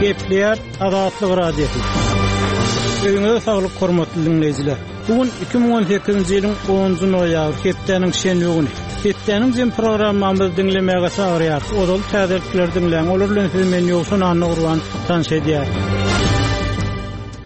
Gepleýär Azatlyk Radiosy. Öýüňize saglyk hormatly diňleýjiler. Bu gün 2018-nji ýylyň 10-njy noýabry, hepdäniň şenbe güni. Hepdäniň jem programmamyzy diňlemäge çagyrýarys. Ozal täzelikleri diňläň, olar bilen sizi men Ýowşan Annagurban tanyş edýärin.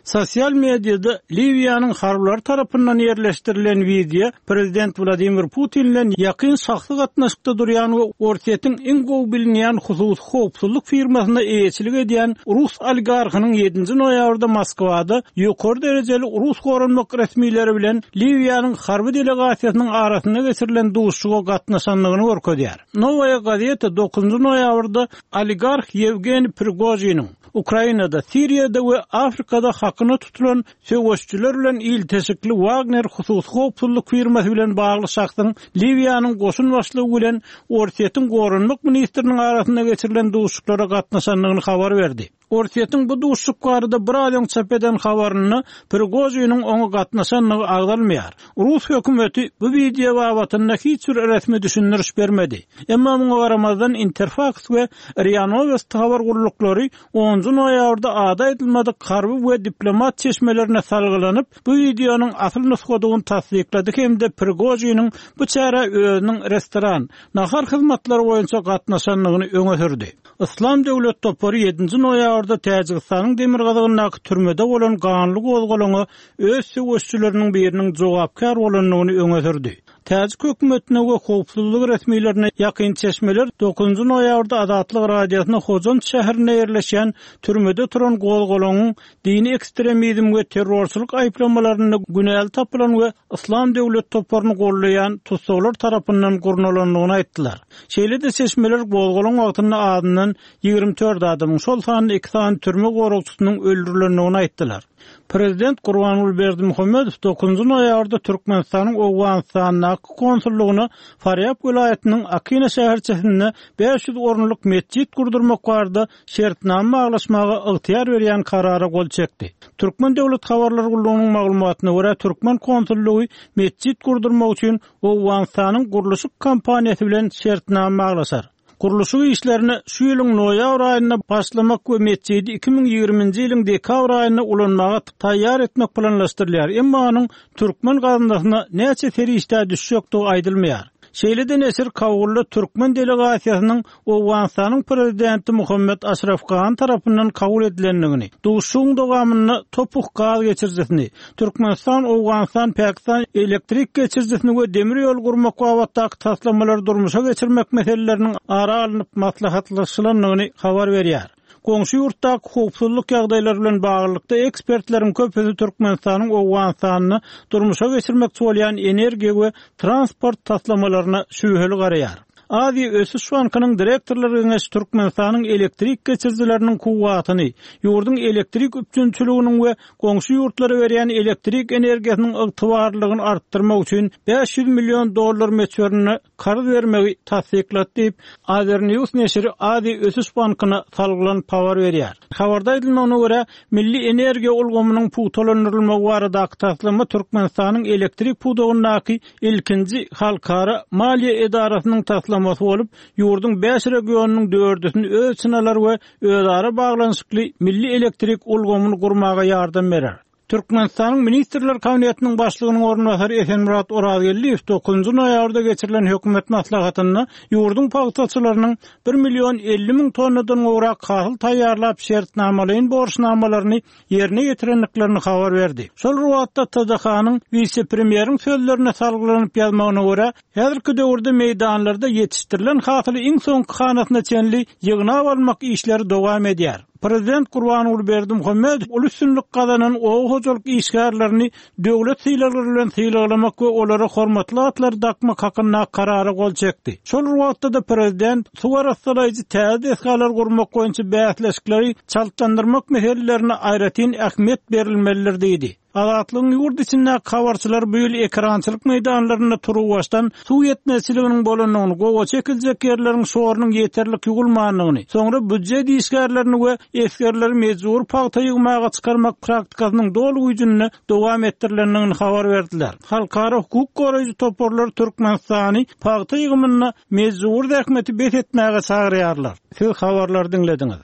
Sosial mediada Liwiýanyň harbylary tarapyndan ýerleşdirilen wideo prezident Wladimir Putin bilen ýakyn şahsy gatnaşykda durýan we Orsýetiň iň gowy bilinýän hususy howpsuzlyk firmasyna eýeçilik edýän rus oligarhynyň ýedinji noýabrda Moskwada ýokary derejeli rus goranmak resmileri bilen Liwiýanyň harby delegasiýasynyň arasynda geçirilen duşuşyga gatnaşandygyny görkezýär. Nowaýa gazeta dokuzynjy noýabrda oligarh Ýewgeniý Prigožiniň, Ukrainada, Siriýada we Afrikada hakyna tutulan söweşijiler bilen ilteşikli Wagner hususy howpsuzlyk firmasy bilen bagly şahsyň Liwiýanyň goşun başlygy bilen Orsýetiň goranmak ministriniň arasynda geçirilen duşuşyklara gatnaşandygyny habar berdi. Orsýetiň bu duşuşyk barada biraz öň çap eden habarynda Prigožiniň oňa gatnaşandygy agzalmaýar. Rus hökümeti bu wideo babatynda hiç bir resmi düşündiriş bermedi. Emma muňa garamazdan Interfaks we Ria Nowosti habar gulluklary onunjy noýabrda ady aýdylmadyk harby we diplomat çeşmelerine salgylanyp, bu wideonyň asyl nusgadygyny tassyklady hem-de Prigožiniň bu çärä özüniň restoran, nahar hyzmatlary boýunça gatnaşandygyny öňe sürdi. Yslam döwlet topary ýedinji noýabrda Täjigistanyň demirgazygyndaky türmede bolan ganly gozgalaňa öz söweşijileriniň biriniň jogapkär bolandygyny öňe sürdi. Täjik hökümetine we howpsuzlyk resmilerine ýakyn çeşmeler dokuzynjy noýabrda Azatlyk Radiosyna Hojant şäherinde ýerleşýän türmede turan gozgalaňyň dini ekstremizm we terrorçylyk aýyplamalarynda günäli tapylan we Yslam döwlet toparyny goldaýan tussaglar tarapyndan gurnalandygyny aýtdylar. Şeýle-de çeşmeler gozgalaň wagtynda azyndan 24 adamyň, şol sanda iki sany türme goragçysynyň öldürilendigini aýtdylar. Prezident Gurbanguly Berdimuhamedow dokuzynjy noýabrda Türkmenistanyň Owganystandaky konsullygyna Farýab welaýatynyň Akina şäherçesinde 500 orunlyk metjit gurdurmak barada şertnama baglaşmaga ygtyýar berýän karara gol çekdi. Türkmen döwlet habarlar gullugynyň maglumatyna görä, türkmen konsullygy metjit gurdurmak üçin Owganystanyň gurluşyk kompaniýasy bilen şertnama baglaşar. Gurluşyk işlerine şu ýylyň noýabr aýynda başlamak we metjidi 2020-nji ýylyň dekabr aýynda ulanmaga taýýar etmek planlaşdyrylýar, emma onuň türkmen gaznasyna näçe serişdä düşjekdigi aýdylmaýar. Şeýle-de neşir Kabulda türkmen delegasiýasynyň Owganystanyň prezidenti Muhammet Aşraf Gani tarapyndan kabul edilendigini, duşuşygyň dowamynda Topuh gaz geçirijisini, Türkmenistan-Owganystan-Pakistan elektrik geçirijisini we demir ýol gurmak babatdaky taslamalary durmuşa geçirmek meseleleriniň ara alnyp maslahatlaşylandygyny habar berýär. Goňşy ýurtdaky howpsuzlyk ýagdaýlary bilen baglylykda ekspertleriň köpüsi Türkmenistanyň Owganystanda durmuşa geçirmekçi bolýan energiýa we transport taslamalaryna şübheli garaýar. Aziýa ösüş bankynyň direktorlar geňeşi Türkmenistanyň elektrik geçirijileriniň kuwwatyny, ýurduň elektrik üpjünçiliginiň we goňşy ýurtlara berýän elektrik energiýasynyň ygtybarlylygyny artdyrmak üçin 500 million dollar möçberinde karz bermegi tassyklady diýip, Azernews neşiri Aziýa ösüş bankyna salgylanyp habar berýär. Habarda aýdylmagyna görä, milli energiýa ulgamynyň pugtalandyrylmagy baradaky taslama Türkmenistanyň elektrik pudagyndaky ilkinji halkara maliýe edarasynyň taslamasy bolup, ýurduň bäş regionynyň dördüsini öz içine alar we özara baglanyşykly milli elektrik ulgamyny gurmaga ýardam berer. Türkmenistanyň Ministrler Kabinetiniň Başlygynyň orunbasary Esenmyrat Orazgeldiýew dokuzynjy noýabrda geçirilen hökümet maslahatynda ýurduň pagtaçylarynyň bir million 50 müň tonnadan gowrak hasyl taýýarlap şertnamalaýyn borçnamalaryny ýerine ýetirendiklerini habar berdi. Şol bir wagtda TDH-nyň wise-premýeriň sözlerine salgylanyp ýazmagyna görä, häzirki döwürde meýdanlarda ýetişdirilen hasyly iň soňky hanasyna çenli ýygnap almak işleri dowam edýär. Prezident Gurbanguly Berdimuhamedow uly üstünlik gazanan oba hojalyk işgärlerini döwlet sylaglary bilen sylaglamak we olara hormatly atlary dakmak hakynda Karara gol çekdi. Şol bir wagtda-da prezident suw arassalaýjy täze desgalary gurmak boýunça bäsleşikleri çaltlandyrmak meselelerine aýratyn ähmiýet berilmelidir diýdi. Azatlygyň ýurt içindäki habarçylary bu ýyl ekerançylyk meýdanlarynda turuwbaşdan suw ýetmezçiliginiň bolandygyny, gowaça ekiljek ýerleriň şorunyň ýeterlik ýuwulmandygyny, soňra býujet işgärlerini we esgerleri mejbury pagta ýygmaga çykarmak praktikasynyň doly güýjünde dowam etdirilendigini habar berdiler. Halkara hukuk goraýjy toparlar Türkmenistany pagta ýygymynda mejbury zähmeti bes etmäge çagyrýarlar. Siz habarlary diňlediňiz.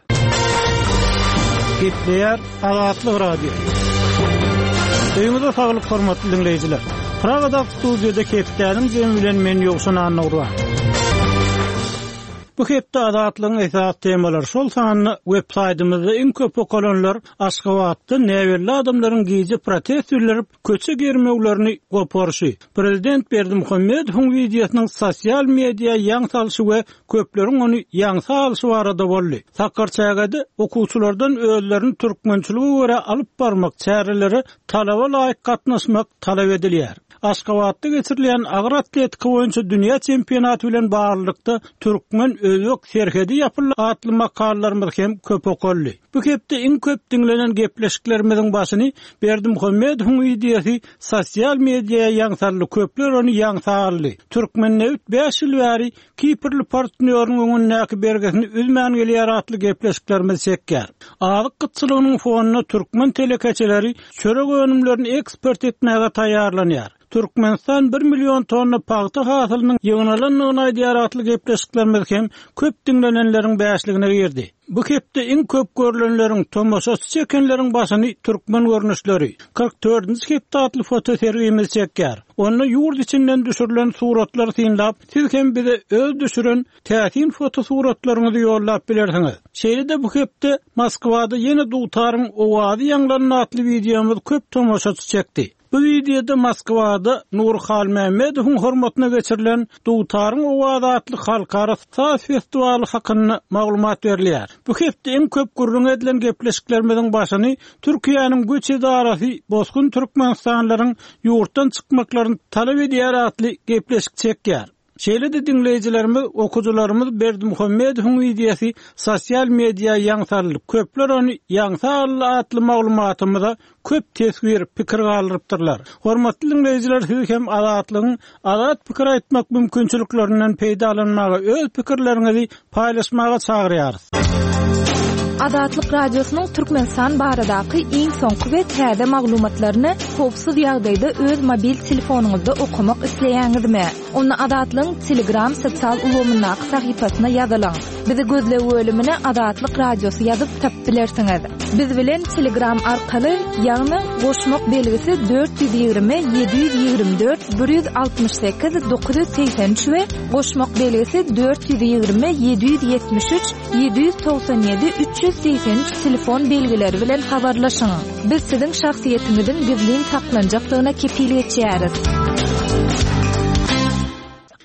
Gepleýär Azatlyk Radiosy. Öýüňize saglyk hormatly diňleýjiler. Pragadaky studiýada hepdäniň jemi bilen men Ýowşan Annagurban. Bu hepde Azatlygyň esasy temalary, şol sanda web saýtymyzda iň köp okalanlar Aşgabatda näbelli adamlaryň gije protest bildirip, köçe germewlerini goparyşy, prezident Berdimuhamedowyň wideosynyň sosial media ýaň salşy we köpleriň ony ýaňsa alşy barada boldy. Sakarçägede okuwçylardan özlerini türkmençilige görä alyp barmak, çärelere talaba laýyk gatnaşmak talap edilýär. Aşgabatda geçirilýän agyr atletika boýunça dünýä çempionaty bilen baglylykda Türkmen-özbek serhedi ýapyldy atly makalalarymyz hem köp okaldy. Bu hepde iň köp diňlenen gepleşiklerimiziň başyny Berdimuhamedowyň wideosy sosial mediýa ýaň saldy, köpler ony ýaňsa aldy. Türkmennebit bäş ýyl bäri kiprli partnýoryň öňündäki bergisini üzmän gelýär atly gepleşiklerimizi çekýär. Azyk gytçylygynyň fonunda türkmen telekeçileri çörek önümlerini eksport etmäge taýýarlanýar. Türkmenistan bir million tonna pagta hasylynyň ýygnalandygyny aýdýar atly gepleşiklerimiz hem köp diňlenenleriň bäşligine girdi. Bu hepde iň köp görlenleriň, tomaşaçy çekenleriň başyny Türkmen görnüşleri, 44-nji hepde atly fotosergimiz çekýär. Onda ýurt içinden düşürilen suratlary synlap, siz hem bize öz düşüren täsin fotosuratlaryňyzy ýollap bilersiňiz. Şeýle-de bu hepde Moskwada ýene dutaryň owazy ýaňlandy atly wideomyz köp tomaşaçy çekdi. Bu wideoda Moskwada Nury Halmämmedowyň hormatyna geçirilen Dutaryň owazy atly halkara saz festiwaly hakynda maglumat berilýär. Bu hepde iň köp gürrüňi edilen gepleşiklerimiziň başyny Türkiýäniň göç edarasy bosgun türkmenistanlylaryň ýurtdan çykmaklaryny talap edýär atly gepleşik çekýär. Şeýle-de diňleýjilerimiz, okyjylarymyz Berdimuhamedowyň wideosy sosial media ýaň saldy, köpler ony ýaňsa aldy atly maglumatymyza köp teswir, pikir galdyrypdyrlar. Hormatly diňleýjiler siz hem Azatlygyň azat pikir aýtmak mümkinçiliklerinden peýdalanmaga, öz pikirleriňizi paýlaşmaga çagyrýarys. Azatlyk Radiosynyň Türkmenistan baradaky iň soňky we täze maglumatlaryny howpsuz ýagdaýda öz mobil telefonyňyzda okamak isleýäňizmi? Onda Azatlygyň Telegram sosial ulgamyndaky sahypasyna ýazylyň. Bizi gözleg bölümine Azatlyk Radiosy ýazyp tapyp bilersiňiz. Biz bilen Telegram arkaly, ýagny goşmak belgisi 420 724 168 983 we goşmak belgisi 420 773 797 383 telefon belgileri bilen habarlaşyň. Biz siziň şahsyýetiňiziň gizlin saklanjakdygyna kepil geçýäris.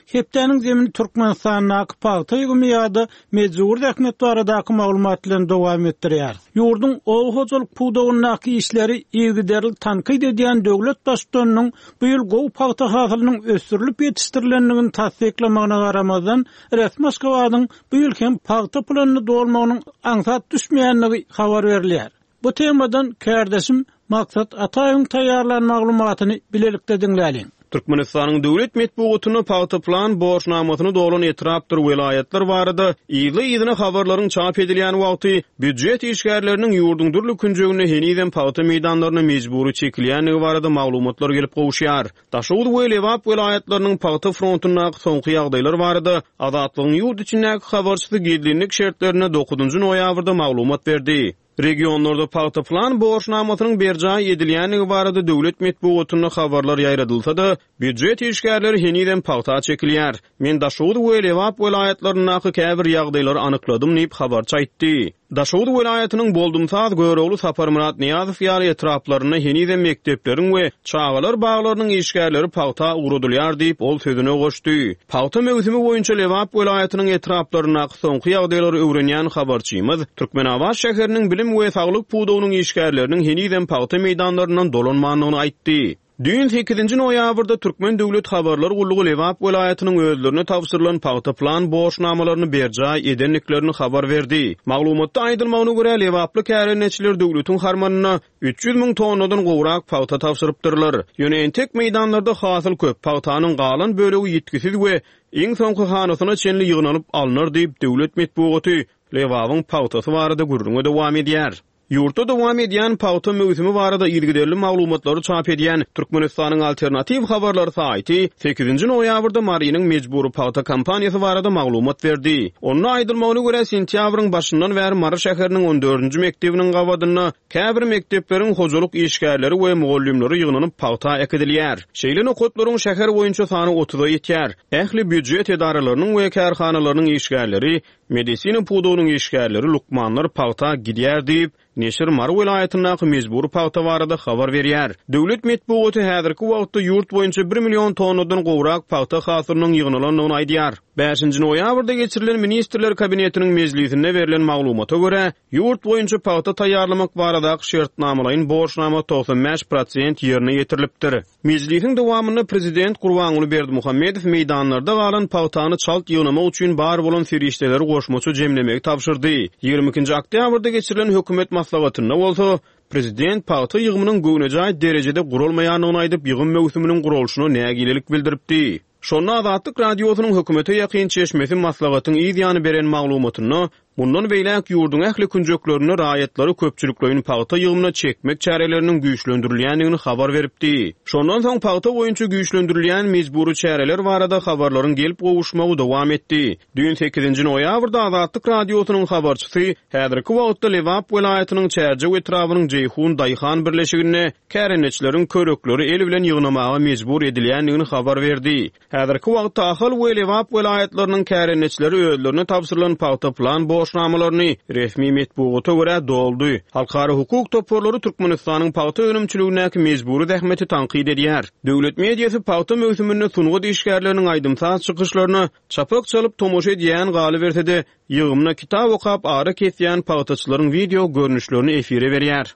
Hepdäniň zemini Türkmenistandaky pagta ýygymy ýa-da mejbury zähmet baradaky maglumat bilen dowam etdirýäris. Ýurduň oba hojalyk pudagyndaky işleri yzygiderli tankyt edýän döwlet Baştutanynyň bu ýyl gowy pagta hasylynyň ösdürilip ýetişdirilendigini tassyklamagyna garamazdan, resmi Aşgabadyň bu ýyl hem pagta planyny dolmagynyň aňsat düşmeýändigi habar berilýär. Bu temadan kärdeşim Maksat Ataýewiň taýýarlan maglumatyny bilelikde diňläliň. Türkmenistanyň döwlet metbugatynda pagta plan borçnamasyny dolan etrapdyr welaýatlar barada yzly-yzyna habarlaryň çap edilýän wagty, býujet işgärleriniň ýurduň dürli künjeginde henizem pagta meýdanlaryna mejbury çekilýändigi barada maglumatlar gelip gowuşýar. Daşoguz we Lebap welaýatlarynyň pagta frontundaky soňky ýagdaýlar barada Azatlygyň ýurt içindäki habarçysy gizlinlik şertlerinde dokuzynjy noýabrda maglumat berdi. Regionlarda pagta plan borçnamasynyň berjaý edilýändigi barada döwlet metbugatynda habarlar ýaýradylsa-da, býujet işgärleri henizem pagta çekilýär. Men Daşoguz we Lebap welaýatlaryndaky käbir ýagdaýlary anykladym diýip, habarçy aýtdy. Daşoguz welaýatynyň Boldumsaz, Görogly, Saparmyrat Nyýazow ýaly etraplarynda henizem mekdepleriň we çagalar baglarynyň işgärleri pagta ugradylýar diýip, ol sözüne goşdy. Pagta möwsümi boýunça Lebap welaýatynyň etraplaryndaky soňky ýagdaýlary öwrenýän habarçymyz Türkmenabat şäheriniň bilim we saglyk pudagynyň işgärleriniň henizem pagta meýdanlaryndan dolanmandygyny aýtdy. Düýn sekizinji noýabrda Türkmen döwlet habarlar gullugy Lebap welaýatynyň özlerine tabşyrylan pagta plan borçnamalaryny berjaý edendiklerini habar berdi. Maglumatda aýdylmagyna görä, lebaply kärendeçiler döwletiň harmanyna 300 müň tonnadan gowrak pagta tabşyrypdyrlar. Ýöne entek meýdanlarda hasyl köp, pagtanyň galan bölegi ýitgisiz we iň soňky hanasyna çenli ýygnalyp alnar diýip, döwlet metbugaty Lebabyň pagtasy barada gürrüňe dowam edýär. Ýurtda dowam edýän pagta möwsümi barada yzygiderli maglumatlary çap edýän Türkmenistanyň Alternatiw habarlary saýty sekizinji noýabrda Marynyň mejbury pagta kampaniýasy barada maglumat berdi. Onda aýdylmagyna görä, sentýabryň başyndan bäri Mary şäheriniň on dördünji mekdebiniň gabadynda käbir mekdepleriň hojalyk işgärleri we mugallymlary ýygnanyp pagta äkidilýär. Şeýle nokatlaryň şäher boýunça sany otuza ýetýär. Ähli býujet edaralarynyň we kärhanalarynyň işgärleri Medisina pudagynyň işgärleri, lukmanlar pagta gidýär diýip, neşir Mary welaýatyndaky mejbury pagta barada habar berýär. Döwlet metbugaty häzirki wagtda ýurt boýunça bir million tonnadan gowrak pagta hasylynyň ýygnalandygyny aýdýar. Bäşinji noýabrda geçirilen Ministrler Kabinetiniň mejlisinde berlen maglumata görä, ýurt boýunça pagta taýýarlamak baradaky şertnamalaýyn borçnama 95 prosent ýerine ýetirilipdir. Mejlisiň dowamynda prezident Gurbanguly Berdimuhamedow meýdanlarda galan pagtany çalt ýygnamak üçin bar bolan serişdeleri goşmaça jemlemegi tabşyrdy. Ýigrimi ikinji oktýabrda geçirilen hökümet maslahatynda bolsa, prezident pagta ýygymynyň göwnejaý derejede guralmaýandygyny aýdyp, ýygym möwsüminiň guralyşyna nägilelik bildiripdi. Şonda Azatlyk Radiosynyň hökümete ýakyn çeşmesi maslahatyň yz ýany beren maglumatynda, mundan beýläk ýurduň ähli künjeklerinde raýatlary köpçülikleýin pagta ýygymyna çekmek çäreleriniň güýçlendirilýändigini habar beripdi. Şondan soň pagta boýunça güýçlendirilýän mejbury çäreler barada habarlaryň gelip gowuşmagy dowam etdi. Düýn sekizinji noýabrda Azatlyk Radiosynyň habarçysy häzirki wagtda Lebap welaýatynyň Çärjew etrabynyň Jeýhun daýhan birleşiginde kärendeçileriň körekleri el bilen ýygnamaga mejbur edilýändigini habar berdi. Häzirki wagtda Ahal we Lebap welaýatlarynyň kärendeçileri özlerine tabşyrylan pagta plan borçnamalaryny, resmi metbugata görä, doldy. Halkara hukuk toparlary Türkmenistanyň pagta önümçiligindäki mejbury zähmeti tankyt edýär. Döwlet mediasy pagta möwsüminde sungat işgärleriniň aýdym-saz çykyşlaryna çapak çalyp tomaşa edýän, galyberse-de, Ýygymda kitap okap ara kesýän pagtaçylaryň wideo görnüşlerini efire berýär.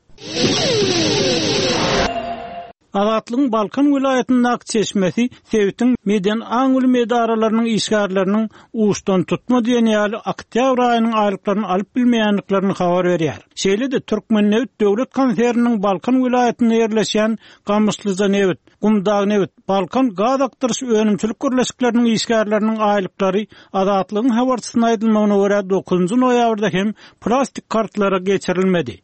Azatlygyň Balkan welaýatyndaky çeşmesi sebitiň medeni aň-bilim edaralarynyň işgärleriniň uçdantutma diýen ýaly oktýabr aýynyň aýlyklaryny alyp bilmeýändiklerini habar berýär. Şeýle-de, Türkmennebit döwlet konserniniň Balkan welaýatynda ýerleşýän Gamyşlyjanebit, Gumdagnebit, Balkan gaz akdyryş önümçilik birleşikleriniň işgärleriniň aýlyklary Azatlygyň habarçysyna aýdylmagyna görä, dokuzynjy noýabrda hem plastik kartlara geçirilmedi.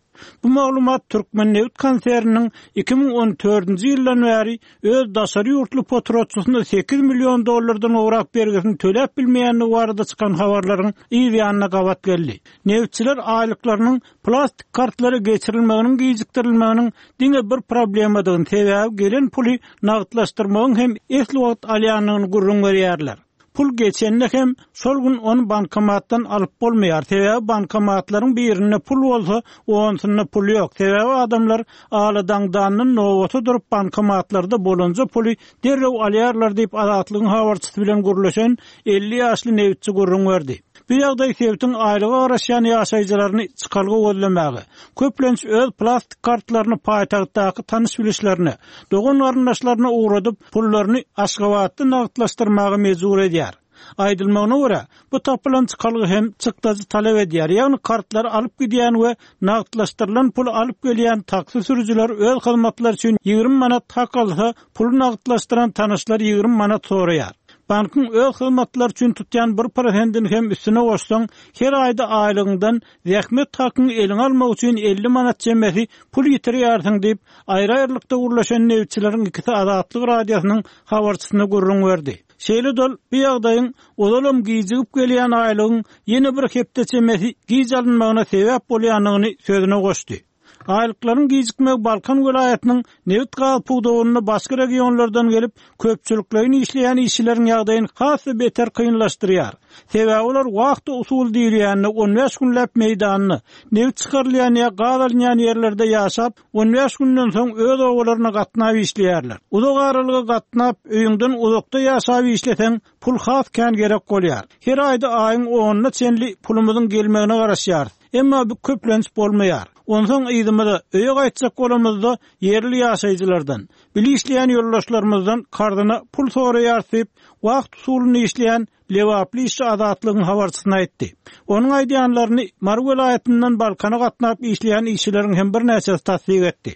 Bu maglumat Türkmennebit konserniniň 2014-nji ýyldan bäri öz daşary ýurtly potratçysyna sekiz million dollardan gowrak bergisini töläp bilmeýändigi barada çykan habarlaryň yz ýanyna gabat geldi. Nebitçiler aýlyklarynyň Plastik kartlara geçirilmeginiň gijikdirilmeginiň diňe bir problemadygyny, sebäbi gelen puly nagtlaşdyrmagyň hem esli wagt alýandygyny gürrüň berýärler. Pul geçende hem şol gün ony bankomatdan alyp bolmaýar, sebäbi bankomatlaryň birinde pul bolsa, onusynda pul ýok, sebäbi adamlar aladaňdandan nobata durup bankomatlarda bolanja puly derrew alýarlar diýip, Azatlygyň habarçysy bilen gürleşen 50 ýaşly nebitçi gürrüň berdi. Bu ýagdaý sebitiň aýlyga garaşýan ýaşaýjylaryny çykalga gözlemäge, köplenç öz plastik kartlaryny paýtagtdaky tanyş-bilişlerine, dogan-garyndaşlaryna ugradyp, pullaryny Aşgabatda nagtlaşdyrmaga mejbur edýär. Aýdylmagyna görä, bu tapylan çykalga hem çykdajy talap edýär, ýagny kartlary alyp gidýän we nagtlaşdyrylan puly alyp gelýän taksi sürüjiler öz hyzmatlary üçin 20 manat hak alsa, Puly nagtlaşdyran tanyşlar 20 manat soraýar. Bankyň öz hyzmatlary üçin tutýan bir prosentini hem üstüne goşsaň, her aýda aýlygyňdan zähmet hakyňy eliňe almak üçin 50 manat çemesi pul ýitirýärsiň diýip, aýry-aýrylykda gürleşen nebitçileriň ikisi Azatlyk Radiosynyň habarçysyna gürrüň berdi. Şeýle-de ol bu ýagdaýyň ozalam gijigip gelýän aýlygyň ýene bir hepde çemesi giç alynmagyna sebäp bolýandygyny sözüne goşdy. Aýlyklaryň gijikmegi Balkan welaýatynyň nebit-gaz pudagynda başga regionlardan gelip, köpçülikleýin işleýän işçileriň ýagdaýyny has-da beter kynlaşdyrýar. Sebäbi olar wahta usuly diýilýände on bäş günläp meýdanda, nebit çykarylýan ýa gaz alynýan ýerlerde ýaşap, on bäş günden soň öz obalaryna gatnap işleýärler. Uzak aralyga gatnap, öýüňden uzakda ýaşap işleseň, pul has kän gerek bolýar. Her aýda aýyň onuna çenli pulumyzyň gelmegine garaşýarys. Emma bu köplenç bolmaýar. Onsoň yzymyza, öýe gaýtjak bolamyzda ýerli ýaşaýjylardan, bile işleýän ýoldaşlarymyzdan karzyna pul soraýarys diýip, wagt usulynda işleýän lebaply işçi Azatlygyň habarçysyna aýtdy. Onuň aýdýanlaryny Mary welaýatyndan Balkana gatnap işleýän işçileriň hem birnäçesi tassyk etdi.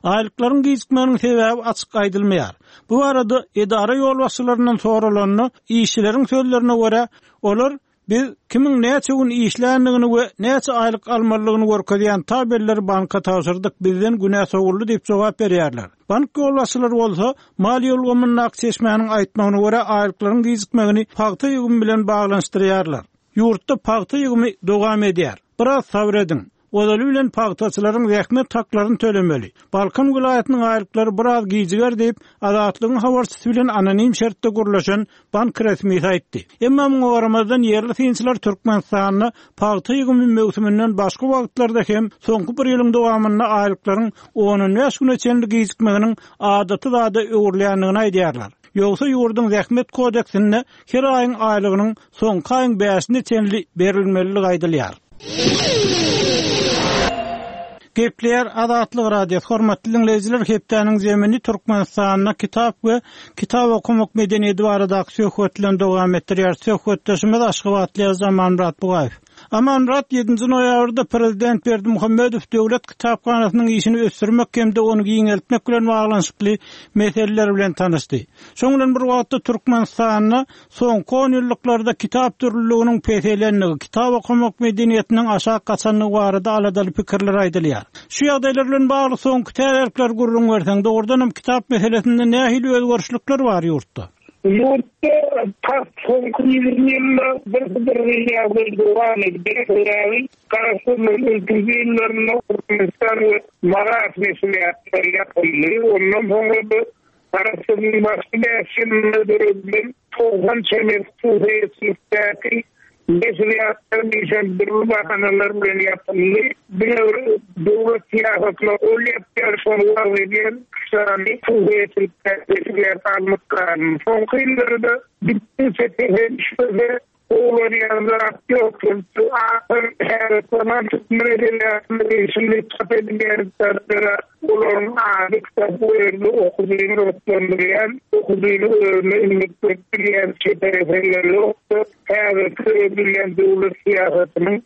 Aýlyklaryň gijikmeginiň sebäbi açyk aýdylmaýar. Bu barada edara ýolbaşçylaryndan soralanda, işçileriň sözlerine görä, olar. Biz kimiň näçe gün işländigini we näçe aýlyk almalydygyny görkezýän tabelleri banka tabşyrdyk, bizden günä sowuldy diýip jogap berýärler. Bank ýolbaşçylary bolsa, maliýe ulgamyndaky çeşmäniň aýtmagyna görä, aýlyklaryň gijikmegini pagta ýygymy bilen baglanyşdyrýarlar. Ýurtda pagta ýygymy dowam edýär. Biraz sabyr ediň. Ozaly bilen pagtaçylaryň zähmet haklaryny tölemeli. Balkan welaýatynyň aýlyklary biraz gijiger diýip, Azatlygyň habarçysy bilen anonim şertde gürleşen bank resmisi aýtdy. Emma muňa garamazdan, ýerli synçylar Türkmenistanda pagta ýygymy möwsüminden başga wagtlarda hem soňky bir ýylyň dowamynda aýlyklaryň on-on bäş güne çenli gijikmeginiň adaty zada öwrülýändigini aýdýarlar. Ýogsa ýurduň Zähmet kodeksinde her aýyň aýlygynyň soňky aýyň bäşine çenli berilmelidigi aýdylýar. Gepleýär Azatlyk Radiosy, Hormatly diňleýjiler, hepdäniň zemini Türkmenistanda kitap we kitap okamak medeniýeti baradaky söhbet bilen dowam etdirýär. Söhbetdeşimiz aşgabatly ýazyjy Amanmyrat Bugaýew. Amanmyrat, ýedinji noýabrda prezident Berdimuhamedow Döwlet kitaphanasynyň işini ösdürmek hem-de ony giňeltmek bilen baglanyşykly meseleler bilen tanyşdy. Şonuň bilen bir wagtda Türkmenistanda Soňky onýyllyklarda kitap dürlüliginiň peselendigi, kitap okamak medeniýetiniň aşak gaçandygy barada aladaly pikirler aýdylýar. Şu ýagdaýlar bilen bagly soňky täzelikleri gürrüň berseň, dogrudanam kitap meselesinde nähili özgerişlikler bar ýurtda? Ýurtda tas soňky 20 ýylda bir-bir ýagdaý dowam edýär. Sebäbi Garaşsyzlygyň ilkinji ýyllarynda Türkmenistan we Maras neşirýatlary ýapyldy. Ondan soňra-da Garaşsyzlygyň başky bäş ýylynda döredilen 90 çemesi hususyýetçilikdäki neşirýatlaryň işem dürli bahanalar bilen ýapyldy. Diňe bir döwlet syýasatyna gol ýapýan, şony wagyz edýän üç sany hususyýetçilikdäki neşirýat alnyp galyndy. Soňky ýyllarda gitdigiçe pese düşmese, Gowulanýan zat ýok. Şu ahyr häzirki zaman türkmen edebiýatyna degişli çap edilýän kitaplara olaryň ady kitap bu ýerde okyjyny gyzyklandyrýan, okyjyny özüne imrikdirip bilýän çeper eserler ýokdur. Häzirki döredilýän döwlet syýasatynyň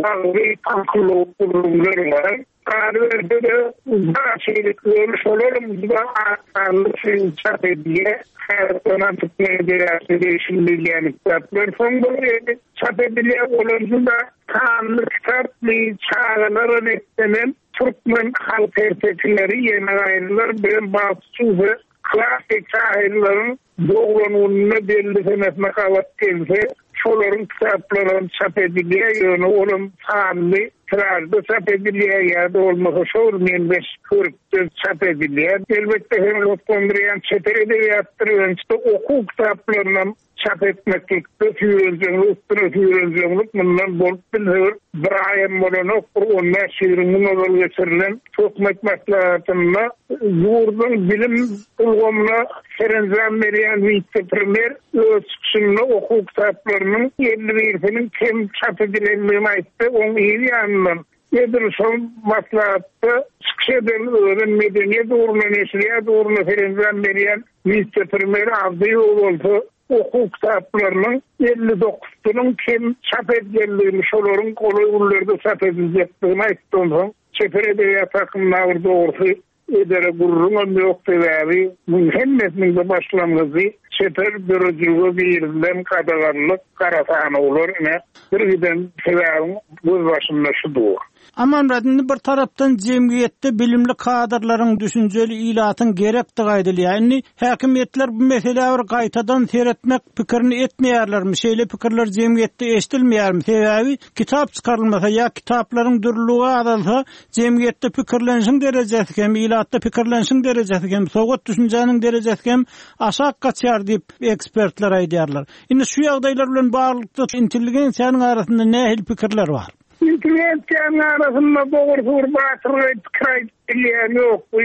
wagzy paňkyllawuk gürrüňler bar. Galyberse-de, bar şeýle ýöne şolaram juda az sanly üçin çap edilýär. Häzirki zaman türkmen edebiýatyna degişli bilýän kitaplar soň bir çap edilýär. Olar juda sanly kitapmy, çagalara niýetlenen türkmen halk ertekileri, ýene gaýrylar bilen bagtçy we klassyk şahyrlaryň Doglan gününe belli senesine gabat gelse, şolaryň kitaplaram çap edilýär, ýöne olam sanly tiražda çap edilýär ýa-da bolmasa şol meňzeş hörpde çap edilýär. Elbetde hem gyzyklandyrýan çeper edebiýatdyr, ýöne okuw kitaplarynam çap etmeklikde süýrenjeňlik üstüne süýrenjeňlik mundan bolup bilse bir bir aýam bolanok, bir on bäş-ýigrimi gün ozal geçirilen hökümet maslahatynda ýurduň bilim ulgamyna serenjam berýän wise-premýer öz çykyşynda okuw kitaplarynyň 50 birisiniň kem çap edilendigini aýtdy, oň yz ýanyndan edil şol maslahatda çykyş eden özem medeniýet ugruna, neşirýat ugruna serenjam berýän wise-premýer Abdyýew bolsa okuw kitaplarynyň 59-synyň kem çap edilendigini, şolaryň golaý günlerde çap ediljekdigini aýtdy. Onsoň çeper edebiýat hakynda bir dogrusy Edere gürrüňem ýok, sebäbi muň hemmesiniň-de başlangyjy çeper döredijilige girizilen gadaganlyk, gara sanawlar, ine, bir giden sebäbiň gözbaşynda şu dur. Amanmyrat, indi bir tarapdan jemgyýetde bilimli kadrlaryň, düşünjeli ilatyň gerekdigi aýdylýar. Indi häkimiýetler bu meselä bir gaýtadan seretmek pikirini etmeýärlermi? Şeýle pikirler jemgyýetde eşidilmeýärmi? Sebäbi kitap çykarylmasa ýa kitaplaryň dürlüligi azalsa, Jemgyýetde pikirlenişiň derejesi hem, ilatda pikirlenişiň derejesi hem, sowat düşünjäniň derejesi hem aşak gaçýar diýip, ekspertler aýdýarlar. Indi şu ýagdaýlar bilen baglylykda intelligensiýanyň arasynda nähili pikirler bar? Intelligensiýanyň arasynda dogrusy bir batyrgaý pikir aýdyp bilýän ýok. Bu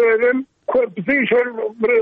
özem Köpüsi şol bir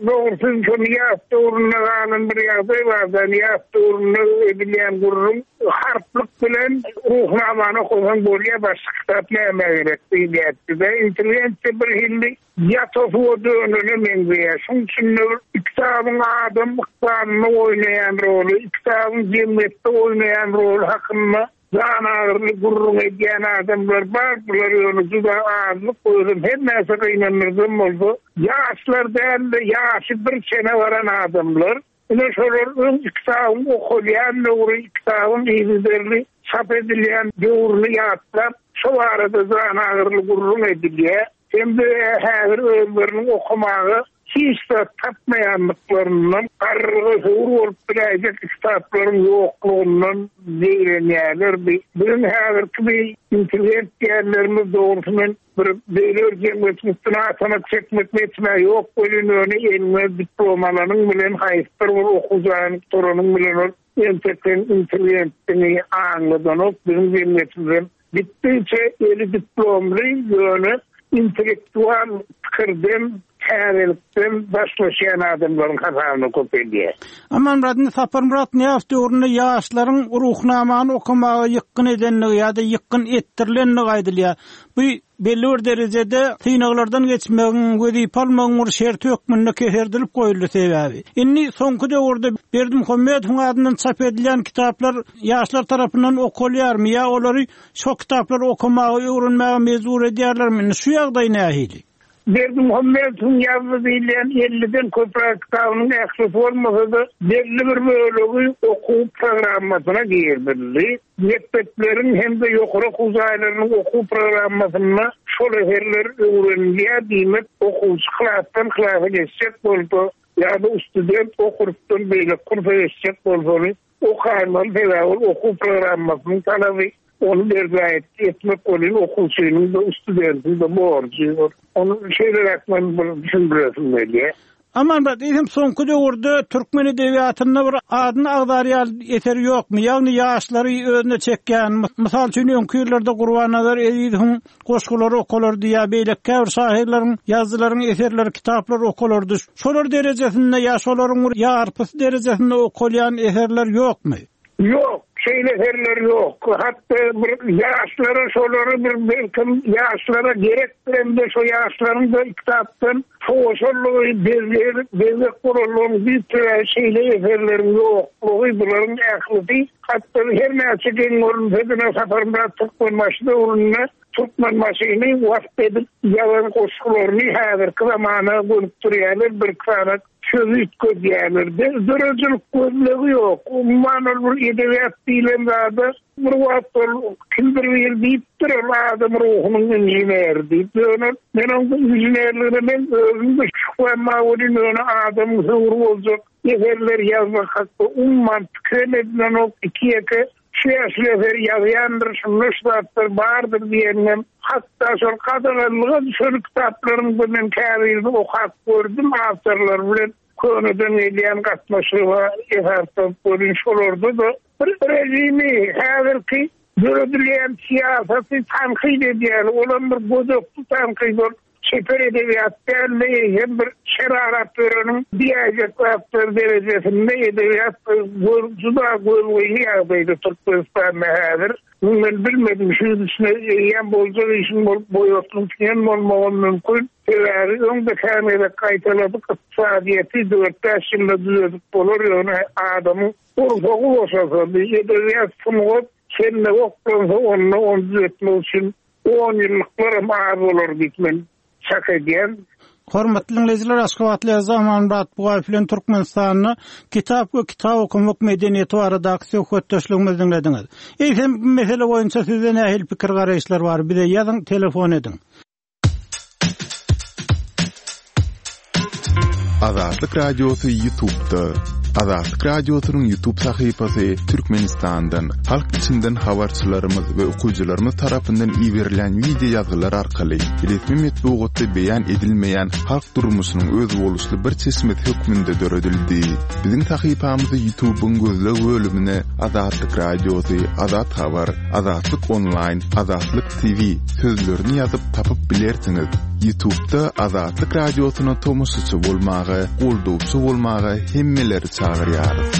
dogrusy şol ýas döwründe galan bir ýagdaý bar-da, ýas döwründe edilýän gürrüň harplyk bilen Ruhnamany okasaň bolýar, başga kitap nämä gerek diýilýärdi-de. Intelligensiýa bir hili ýata suwa dönene meňzeýär. Şoň üçin-de bir kitabyň adam ykbalynda oýnaýan roly, kitabyň jemgyýetde oýnaýan roly hakynda Janagyryly gürrüň edýän adamlar bar, bular ýöne juda azlyk, özem her näçe gynandyrsam bolsa, ýaşlar däl-de, ýaşy bir çene baran adamlar. Ine şolar öň kitabyň okalýan döwri, kitabyň yzygiderli çap edilýän döwrüni ýatlap, şo barada janagyryly gürrüň edilýär. Hem-de häzir özleriniň okamaga hiç zat tapmaýandyklaryndan, garryga höwür bolup biläýjek kitaplaryň ýoklugyndan zeýrenýärler. Biziň häzirki bi intelligent diýenlerimiz dogrusy men Bir beýle bir jemgyýetiň üstüne atanak çekmek niýetim-ä ýok welin, ýöne eliňe diplom alanyň bilen, haýsydyr bir okuw jaýyny gutaranyň bilen ol entek seň intelligentdigiňi aňladanok. Biziň jemgyýetimizem gitdigiçe eli diplomly, ýöne intellektual pikirden, täzelikden daşlaşýan adamlaryň hasabyna köpeldýär. Amanmyrat, indi Saparmyrat Nyýazow döwründe ýaşlaryň Ruhnamany okamaga ýykgyn edendigi ýa-da ýykgyn etdirilendigi aýdylýar. Bu belli bir derejede synaglardan geçmegiň, wezipe almagyň bir şerti hökmünde keserdilip goýuldy sebäbi. Indi soňky döwürde Berdimuhamedowyň adyndan çap edilýän kitaplar ýaşlar tarapyndan okalýarmy ýa olary şo kitaplary okamaga, öwrenmäge mejbur edýärlermi? Indi şu ýagdaý nähili? Berdimuhamedowyň ýazdy diýilýän elliden köpräk kitabynyň ählisi bolmasa-da, belli bir bölegi okuw programmasyna girizildi. Mekdepleriň hem-de ýokary okuw jaýlarynyň okuw programmasynda şol eserler öwrenilýär, diýmek, okuwçy klasdan klasa geçjek bolsa ýa-da student o kursdan beýleki kursa geçjek bolsa ony okaýmaly, sebäbi ol okuw programmasynyň talaby, ony berjaý etmek welin okuwçynyň-da, studentiň-de borjy. Ony şeýleräk men bir düşündiresim gelýär. Amanmyrat, eýsem soňky döwürde türkmen edebiýatynda bir adyny agzar ýaly eser ýokmy? Ýagny ýaşlary özüne çekýän, mysal üçin öňki ýyllarda Gurbannazar Ezizowyň goşgulary okalardy ýa beýleki käbir şahyrlaryň, ýazyjylaryň eserleri, kitaplary okalardy. Şolar derejesinde ýa şolaryň bir ýarpysy derejesinde okalýan eserler ýokmy? Ýok, şeýle eserler ýok. Hatda bir ýaşlara şolary bir belkem ýaşlara gerekdirem-de şo ýaşlaryň-da kitapdan sowaşanlygy, bezeg bolanlygynyň düýp sebäbi şeýle eserleriň ýoklugy, bularyň ählisi hatda her näçe geň görünse-de Saparmyrat Türkmenbaşy döwründe Türkmenbaşyny wasp edip ýazan goşgularyny häzirki zamana gönükdirýärler, birki sany sözi üýtgedýärler. Döredijilik gözlegi ýok. Umuman ol bir edebiýat diýlen zada bir wagt ol kimdir biri diýipdir, ol adam ruhunyň inženeri diýip. Ýöne men oň bu inženerligine men özüm-de şübhäm bar welin, ýöne adamyň höwri boljak eserler ýazmak hakda umuman pikirem edilenok. Iki-ýeke Şu eser ýazýandyr, şunda şu zatlar bardyr diýeninem, hatda şol gadaganlyga düşen kitaplaryň-da men käbirini okap gördüm, awtorlary bilen köneden gelýän gatnaşyga esaslanyp welin şolarda-da bir režimi, häzirki döredilýän syýasaty tankyt edýär, olam bir gödekli tankyt, ol Çeper edebiýat däl-de, eýsem bir şer arap ýöreniň diýäýjek zatlary derejesinde edebiýat juda gözgyny ýagdaýda Türkmenistanda häzir. Muny men bilmedim, şu ýyl içinde eýýäm boljak işiň bolup boýatlyň kän bolmagam mümkin. Sebäbi öň-de kän gezek gaýtaladyk, ykdysadyýeti dört-bäş ýylda düzedip bolar, ýöne adamyň gursagy boşasa, bir edebiýat, sungat kelle oklansa onda ony düzetmek üçin Onýyllyklaram az bolar diýip men çak edýän. Hormatly diňleýjiler, Aşgabatly ýazyjy Amanmyrat Bugaýew bilen Türkmenistanda kitap we kitap okamak medeniýeti baradaky söhbetdeşligimizi diňlediňiz. Eýsem, bu mesele boýunça sizde nähili pikir-garaýyşlar bar? Bize ýazyň, telefon ediň. Azatlyk Radiosy Ýutubda. Azatlyk Radiosynyň Ýutub sahypasy Türkmenistandan, halk içinden habarçylarymyz we okyjylarymyz tarapyndan iberilen wideo ýazgylar arkaly resmi metbugatda beýan edilmeýän halk durmuşynyň özboluşly bir çeşmesi hökmünde döredildi. Biziň sahypamyzy Ýutubyň gözleg bölümine Azatlyk Radiosy, Azat Habar, Azatlyk Onlaýn, Azatlyk TV sözlerini ýazyp tapyp bilersiňiz. Ýutubda Azatlyk Radiosyna tomaşaçy bolmaga, goldawçy bolmaga hemmeleri çagyrýarys.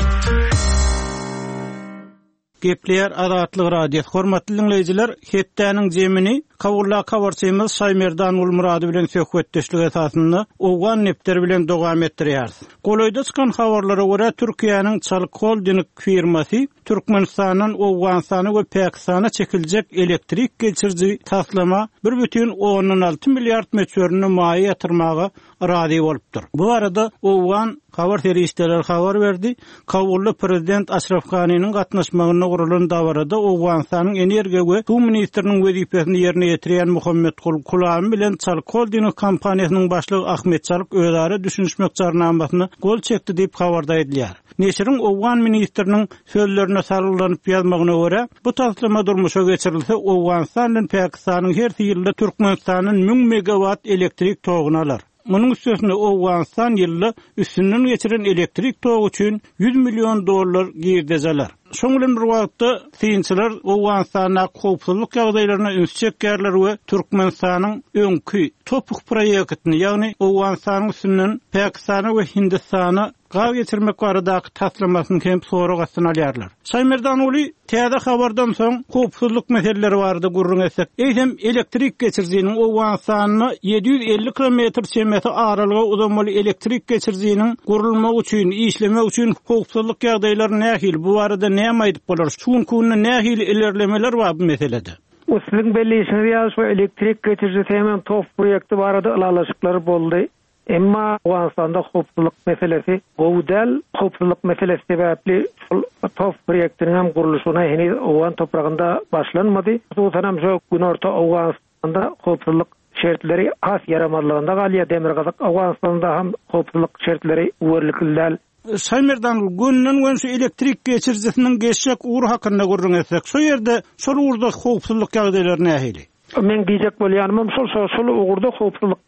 Gepleýär Azatlyk Radiosy. Hormatly diňleýjiler, hepdäniň jemini Kabuldaky habarçymyz Şaýmerdan Gulmyrady bilen söhbetdeşlik esasynda Owgan nepderi bilen dowam etdirýäris. Golaýda çykan habarlara görä, Türkiýäniň Çalyk Holding firmasy Türkmenistandan Owganystana we Pakistana çekiljek elektrik geçiriji taslama bir bütin ondan alty milliard möçberinde maýa ýatyrmaga razy bolupdyr. Bu barada owgan. habar serişdeleri habar berdi. Kabulda prezident Aşraf Ganiniň gatnaşmagynda guralan dabarada Owganystanyň energiýa we suw ministriniň wezipesini ýerine ýetirýän Muhammet Gul Kulami bilen Çalyk Holding kompaniýasynyň başlygy Ahmet Çalyk özara düşünişmek jarnamasyna gol çekdi diýip, habarda aýdylýar. Neşiriň owgan ministriniň sözlerine salgylanyp ýazmagyna görä, bu taslama durmuşa geçirilse, Owganystan bilen Pakistanyň hersi ýylda Türkmenistandan 1000 megawatt elektrik toguny alar. Munuň üstesine, Owganystan ýylda üstünden geçiren elektrik togy üçin 100 million dollar girdeji alar. Şonuň bilen bir wagtda, synçylar Owganystandaky howpsuzlyk ýagdaýlaryna üns çekýärler we Türkmenistanyň öňki TOPH proýektini, ýagny Owganystanyň üstünden Pakistana we Hindistana gaz geçirmek baradaky taslamasyny hem sorag astyna alýarlar. Şaýmerdanuly, täze habardan soň howpsuzlyk meseleleri barada gürrüň etsek, eýsem elektrik geçirijiniň Owganystanda 750 kilometr çemesi aralyga uzamaly elektrik geçirijiniň gurulmagy üçin, işlemegi üçin howpsuzlyk ýagdaýlary nähili, bu barada näme aýdyp bolar, şu günki günde nähili ilerlemeler bar bu meselede? Bu siziň belleýşiňiz ýaly şu elektrik geçirijisi hemem TOPH proýekti barada ylalaşyklar boldy. Emma Owganystanda howpsuzlyk meselesi gowy däl. Howpsuzlyk meselesi sebäpli şol TOPH proýektiniň hem gurluşygyna heniz owgan topragynda başlanmady. Hususan hem şu günorta Owganystanda howpsuzlyk şertleri has ýaramazlygynda galýar. Demirgazyk Owganystanda hem howpsuzlyk şertleri üwerlikli däl. Şaýmerdan, gönden-gön şu elektrik geçirijisiniň geçjek ugry hakynda gürrüň etsek, şo ýerde şol ugurda howpsuzlyk ýagdaýlary nähili? Meň diýjek bolýanymam şol, şo şol ugurda howpsuzlyk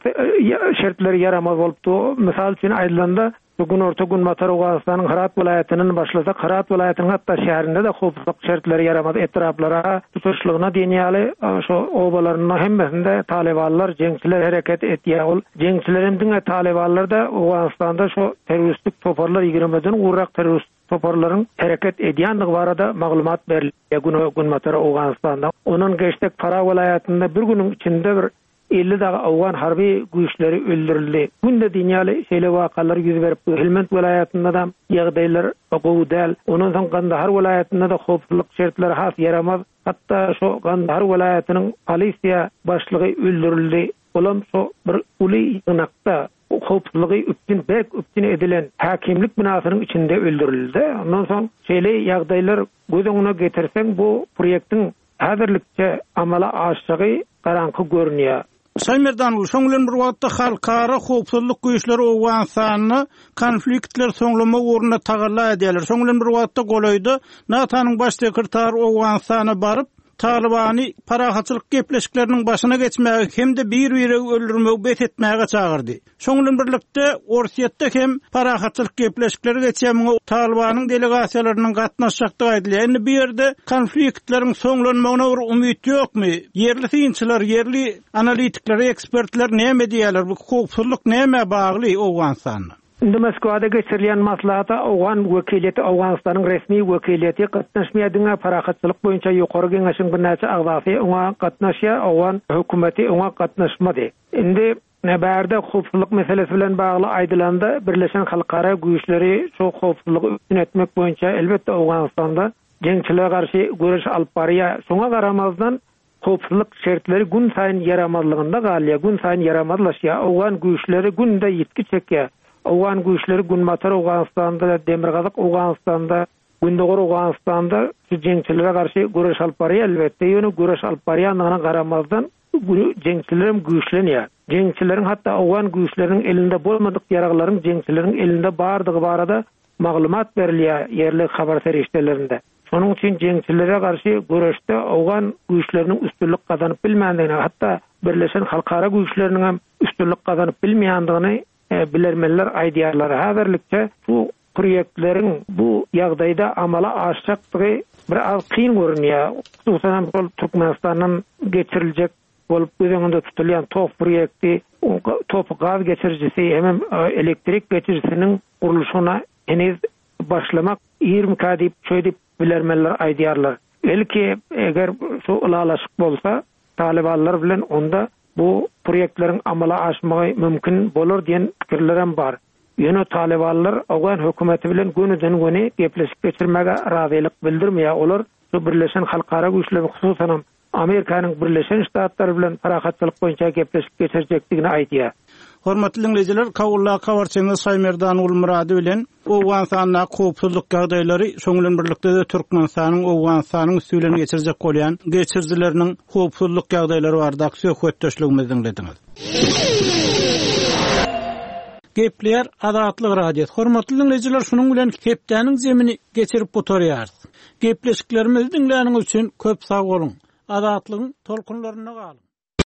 şertleri ýaramaz bolup dur. Mysal üçin aýdylanda, şu günorta-günbatar Owganystanyň Hyrat welaýatyndan başlasak, Hyrat welaýatynyň hatda şäherinde-de howpsuzlyk şertleri ýaramaz. Etraplara tutuşlygyna diýen ýaly şo obalarynda hemmesinde talybanlar, jeňçiler hereket edýär. Ol jeňçiler hem diňe talybanlar-da, Owganystanda şo terroristik toparlar ýigrimiden gowrak terroristik toparlaryň hereket edýändigi barada maglumat berilýär Günbatar Owganystanda. Ondan geçsek Farah welaýatynda bir günüň içinde bir 50 dagy owgan harby güýçleri öldürildi. Günde diýen ýaly şeýle wakalar ýüz berip dur. Helmand welaýatynda-da ýagdaýlar gowy däl. Ondan soň Gandahar welaýatynda-da howpsuzlyk şertleri has ýaramaz. Hatda şo Gandahar welaýatynyň polisiýa başlygy öldürildi. Olam şo bir uly ýygnakda howpsuzlygy üpjün berk üpjün edilen häkimlik binasynyň içinde öldürildi. Ondan soň şeýle ýagdaýlar göz öňüne getirseň bu proýektiň häzirlikçe amala aşjagy garaňky görünýär. Şaýmerdanguly, şoň bilen bir wagtda halkara howpsuzlyk güýçleri Owganystanda konfliktleri soňlamak ugrunda tagalla edýärler. Şoň bilen bir wagtda golaýda NATO-nyň baş sekretary Owganystana baryp, Talybany parahatçylyk gepleşikleriniň başyna geçmäge hem-de bir-biregi öldürmegi bes etmäge çagyrdy. Şoň bilen birlikde, Orsýetde hem parahatçylyk gepleşikleri geçýär, muňa Talybanyň delegasiýalarynyň gatnaşjakdygy aýdylýar. Indi bu ýerde konfliktleriň soňlanmagyna bir umyt ýokmy? Ýerli synçylar, ýerli analitikler, ekspertler näme diýýärler? Bu howpsuzlyk nämä bagly Owganystanda? Indi Moskwada geçirilýän maslahata owgan wekiliýeti, Owganystanyň resmi wekiliýeti gatnaşmaýar, diňe Parahatçylyk boýunça Ýokary Geňeşiň birnäçe agzasy oňa gatnaşýar, owgan hökümeti oňa gatnaşmady. Indi bärde howpsuzlyk meselesi bilen bagly aýdylanda, birleşen halkara güýçleri şu howpsuzlygy üpjün etmek boýunça elbetde Owganystanda jeňçilere garşy göreş alyp barýar. Şoňa garamazdan, Howpsuzlyk şertleri günsaýyn ýaramazlygynda galýar, günsaýyn ýaramazlaşýar. Owgan güýçleri günde ýitgi çekýär. Owgan güýçleri Günbatar Owganystanda, Demirgazyk Owganystanda, Gündogar Owganystanda şu jeňçilere garşy göreş alyp barýar elbetde, ýöne göreş alyp barýandygyna garamazdan jeňçilerem güýçlenýär. Jeňçileriň hatda owgan güýçleriniň elinde bolmadyk ýaraglaryň jeňçileriň elinde bardygy barada maglumat berilýär ýerli habar serişdelerinde. Şonuň üçin jeňçilere garşy göreşde owgan güýçleriniň üstünlik gazanyp bilmändigini, hatda birleşen halkara güýçleriniň hem üstünlik gazanyp bilmeýändigini bilermenler aýdýarlar. Häzirlikçe bu proýektleriň bu ýagdaýda amala aşjakdygy bir az kyn görünýär. Hususan hem şol Türkmenistandan geçiriljek bolup göz öňünde tutulýan TOPH proýekti, TOPH gaz geçirijisi hemem elektrik geçirijisiniň gurluşygyna heniz başlamak irmikä diýip, şeýdip bilermenler aýdýarlar. Belki, eger şu ylalaşyk bolsa, talybanlar bilen onda bu proýektleriň amala aşmagy mümkin bolar diýen pikirlerem bar. Ýöne talybanlar owgan hökümeti bilen gönüden-göni gepleşik geçirmäge razylyk bildirmeýär. Olar şu birleşen halkara güýçleri, hususanam Amerikanyň Birleşen Ştatlary bilen parahatçylyk boýunça gepleşik geçirjekdigini aýdýar. Hormatly diňleýjiler, Kabuldaky habarçymyz Şaýmerdan Gulmyrady bilen Owganystandaky howpsuzlyk ýagdaýlary, şonuň bilen birlikde-de Türkmenistanyň Owganystanyň üsti bilen geçirjek bolýan geçirijileriniň howpsuzlyk ýagdaýlary baradaky söhbetdeşligimizi diňlediňiz. Gepleýär Azatlyk Radiosy. Hormatly diňleýjiler, şunuň bilen hepdäniň jemini geçirip gutarýarys. Gepleşiklerimizi diňläniňiz üçin köp sag boluň! Azatlygyň tolkunlarynda galyň!